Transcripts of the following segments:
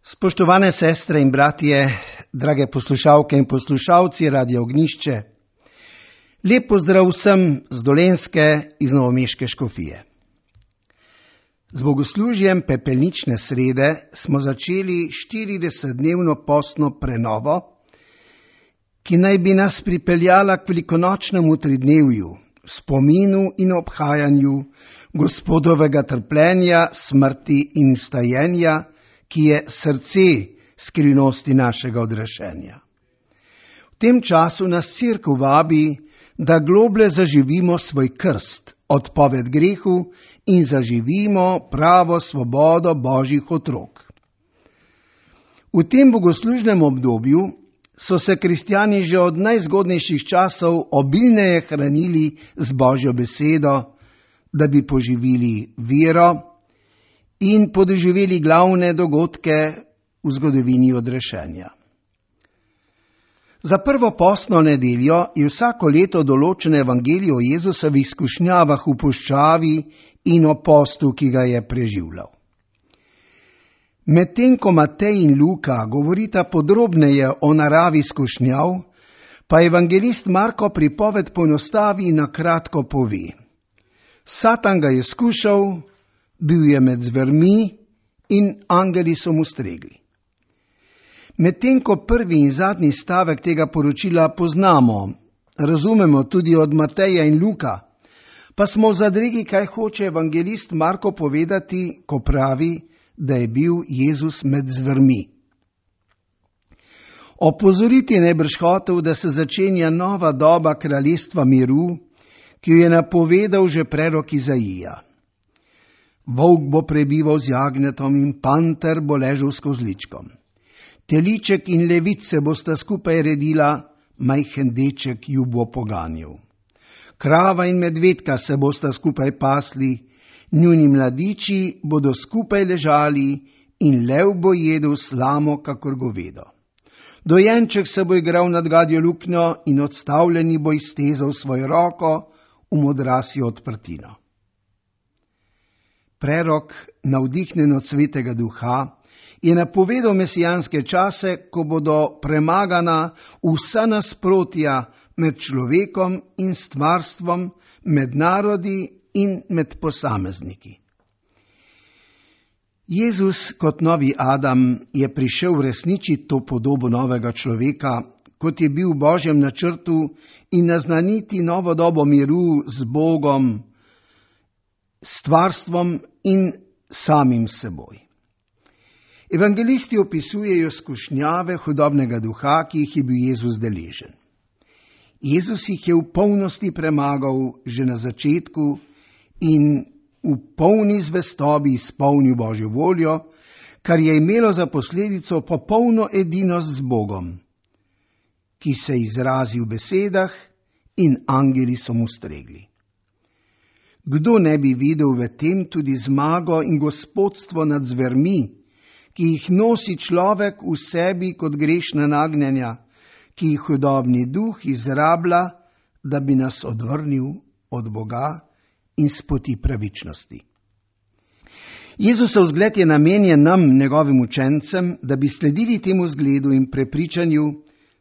Spoštovane sestre in bratje, drage poslušalke in poslušalci Radia Ognjišče, lep pozdrav vsem z Dolenjske iz novomeške škofije. Z bogoslužjem pepelnične srede smo začeli 40-dnevno postno prenovo, ki naj bi nas pripeljala k velikonočnemu tridnevju, spominu in obhajanju Gospodovega trpljenja, smrti in vstajenja, ki je srce skrivnosti našega odrešenja. V tem času nas Cerkev vabi, da globlje zaživimo svoj krst, odpoved grehu in zaživimo pravo svobodo Božjih otrok. V tem bogoslužnem obdobju so se kristjani že od najzgodnejših časov obilneje hranili z Božjo besedo, da bi poživili vero in podoživeli glavne dogodke v zgodovini odrešenja. Za prvo postno nedeljo je vsako leto določen evangelij o Jezusovih skušnjavah v puščavi in o postu, ki ga je preživljal. Medtem ko Matej in Luka govorita podrobneje o naravi skušnjav, pa evangelist Marko pripoved poenostavi in na kratko pove: Satan ga je skušal, bil je med zvermi in angeli so mu stregli. Medtem ko prvi in zadnji stavek tega poročila poznamo, razumemo tudi od Mateja in Luka, pa smo v zadregi, kaj hoče evangelist Marko povedati, ko pravi, da je bil Jezus med zvermi. Opozoriti najbrž hotel, da se začenja nova doba kraljestva miru, ki jo je napovedal že prerok Izaija. Volk bo prebival z jagnjetom in panter bo ležal s kozličkom. Teliček in levice bosta skupaj redila, majhen deček ju bo poganjal. Krava in medvedka se bosta skupaj pasli, njuni mladiči bodo skupaj ležali in lev bo jedel slamo kakor govedo. Dojenček se bo igral nad gadjo luknjo in odstavljeni bo iztezal svojo roko v modrasjo odprtino. Prerok, navdihnjen od Svetega Duha, je napovedal mesijanske čase, ko bodo premagana vsa nasprotja med človekom in stvarstvom, med narodi in med posamezniki. Jezus kot novi Adam je prišel uresničiti to podobo novega človeka, kot je bil v Božjem načrtu, in naznaniti novo dobo miru z Bogom, stvarstvom in samim seboj. Evangelisti opisujejo skušnjave hudobnega duha, ki jih je bil Jezus deležen. Jezus jih je v polnosti premagal že na začetku in v polni zvestobi izpolnil Božjo voljo, kar je imelo za posledico popolno edinost z Bogom, ki se izrazi v besedah in angeli so mu stregli. Kdo ne bi videl v tem tudi zmago in gospodstvo nad zvermi, ki jih nosi človek v sebi kot grešna nagnjenja, ki jih hudobni duh izrablja, da bi nas odvrnil od Boga in s poti pravičnosti. Jezusov zgled je namenjen nam, njegovim učencem, da bi sledili temu zgledu in prepričanju,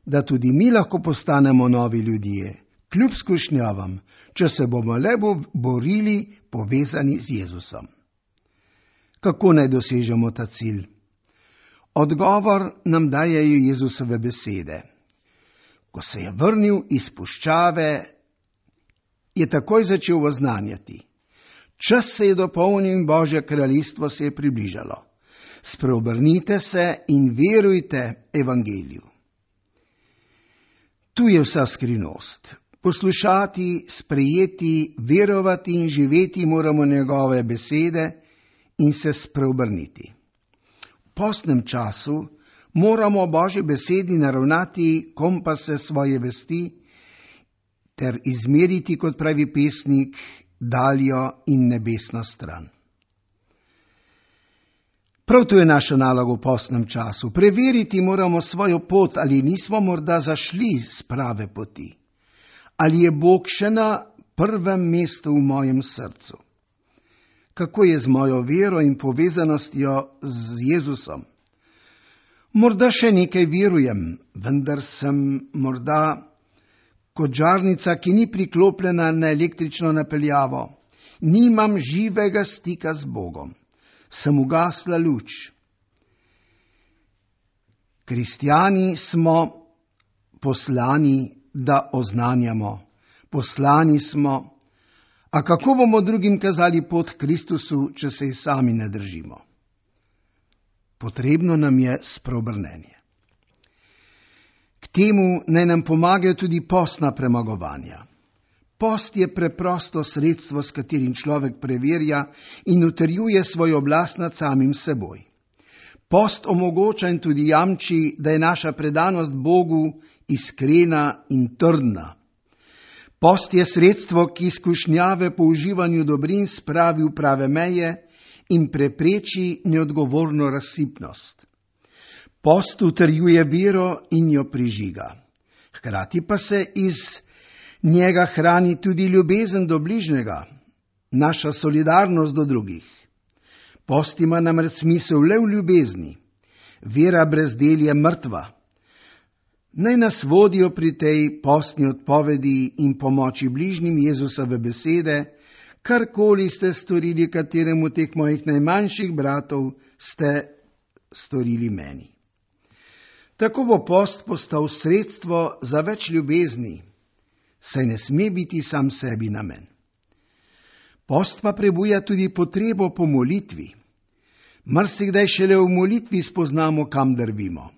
da tudi mi lahko postanemo novi ljudje, kljub skušnjavam, če se bomo le borili povezani z Jezusom. Kako naj dosežemo ta cilj? Odgovor nam dajejo Jezusove besede. Ko se je vrnil iz puščave, je takoj začel oznanjati: Čas se je dopolnil in Božje kraljestvo se je približalo. Spreobrnite se in verujte evangeliju. Tu je vsa skrivnost. Poslušati, sprejeti, verovati in živeti moramo njegove besede in se spreobrniti. V postnem času moramo Božji besedi naravnati kompase svoje vesti ter izmeriti, kot pravi pesnik, daljo in nebesno stran. Prav to je naša naloga v postnem času. Preveriti moramo svojo pot, ali nismo morda zašli z prave poti. Ali je Bog še na prvem mestu v mojem srcu? Kako je z mojo vero in povezanostjo z Jezusom? Morda še nekaj verujem, vendar sem morda kot žarnica, ki ni priklopljena na električno napeljavo. Nimam živega stika z Bogom. Sem ugasla luč. Kristjani smo poslani, da oznanjamo. Poslani smo. A kako bomo drugim kazali pot k Kristusu, če se jih sami ne držimo? Potrebno nam je spreobrnenje. K temu naj nam pomagajo tudi postna premagovanja. Post je preprosto sredstvo, s katerim človek preverja in utrjuje svojo oblast nad samim seboj. Post omogoča in tudi jamči, da je naša predanost Bogu iskrena in trdna. Post je sredstvo, ki skušnjave po uživanju dobrin spravi v prave meje in prepreči neodgovorno razsipnost. Post utrjuje vero in jo prižiga. Hkrati pa se iz njega hrani tudi ljubezen do bližnjega, naša solidarnost do drugih. Post ima namreč smisel le v ljubezni. Vera brez del je mrtva. Naj nas vodijo pri tej postni odpovedi in pomoči bližnjim Jezusove besede: karkoli ste storili kateremu teh mojih najmanjših bratov, ste storili meni. Tako bo post postal sredstvo za več ljubezni, saj ne sme biti sam sebi namen. Post pa prebuja tudi potrebo po molitvi. Marsikdaj šele v molitvi spoznamo, kam drvimo.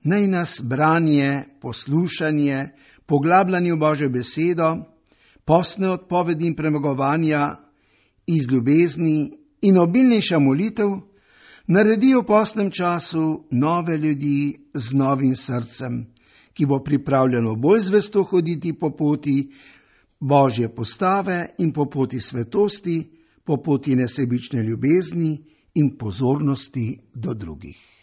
Naj nas branje, poslušanje, poglabljanje v Božjo besedo, postne odpovedi in premagovanja iz ljubezni in obilnejša molitev naredijo v postnem času nove ljudi z novim srcem, ki bo pripravljeno bolj zvesto hoditi po poti Božje postave in po poti svetosti, po poti nesebične ljubezni in pozornosti do drugih.